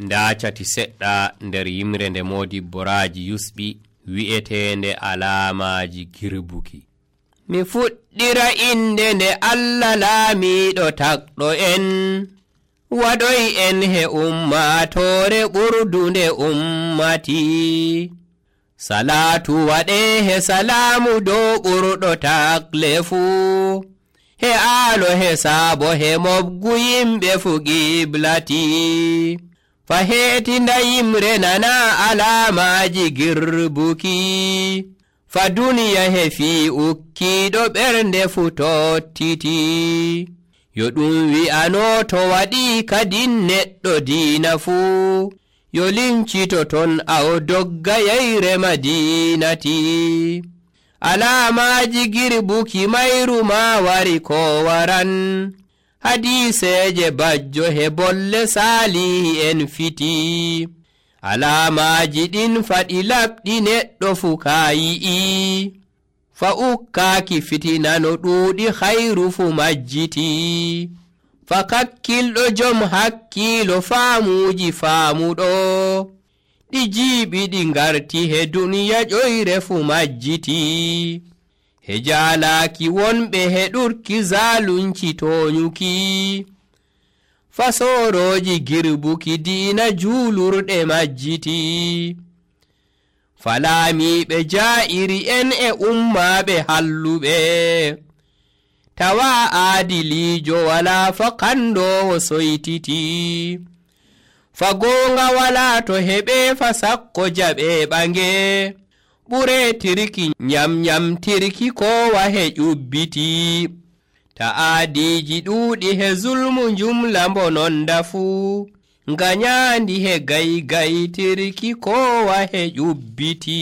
nda cati seɗɗa nder yimre nde Modibbo Raji yusɓi wi'etende alamaji girbuki. Mi fuɗɗira inde nde Allah laamiɗo takɗo en, waɗoy en he ummatore ɓurdunde ummati. Salatu waɗe he salamu dow ɓurɗo takle fuu, he aalo he saabo he mobgu yimɓe fu giblati. Fa heetinda yimre nana alamaji girbuki, fa duniya he fi ukkiɗo ɓernde fu tottiti. Yo ɗum wi'ano to waɗi kadin neɗɗo diina fuu, yo lincito ton aw dogga yeyre madinati. Alamaji girbuki mayru ma wari ko waran, hadiseje bajjo he bolle salihi en fiti. Alamaji ɗin faɗi laɓɗi neɗɗo fu kayi'i, fa ukkaaki fitina no ɗuuɗi hayru fu majjiti. Fa kakkilɗo jom hakkiilo faamuji faamuɗo, ɗi jiiɓi ɗi ngarti he duniya ƴoyre fu majjiti. He jaalaaki wonɓe he ɗurki zalunci toonyuki, fa sooroji girbuki diina juulurɗe majjiti. Fa laamiɓe jaa'iri en e ummaaɓe halluɓe, tawa aadiliijo wala fa kandoowo soytiti. Fa goonga wala to heɓe fa sakko jaɓe ɓange, ɓuretirki nyamnyamtirki kowa he ƴubbiti. Ta'aadiji ɗuuɗi he zulmu jumla mbononda fuu, nga nyaandi he gaygaytirki kowa he ƴubbiti.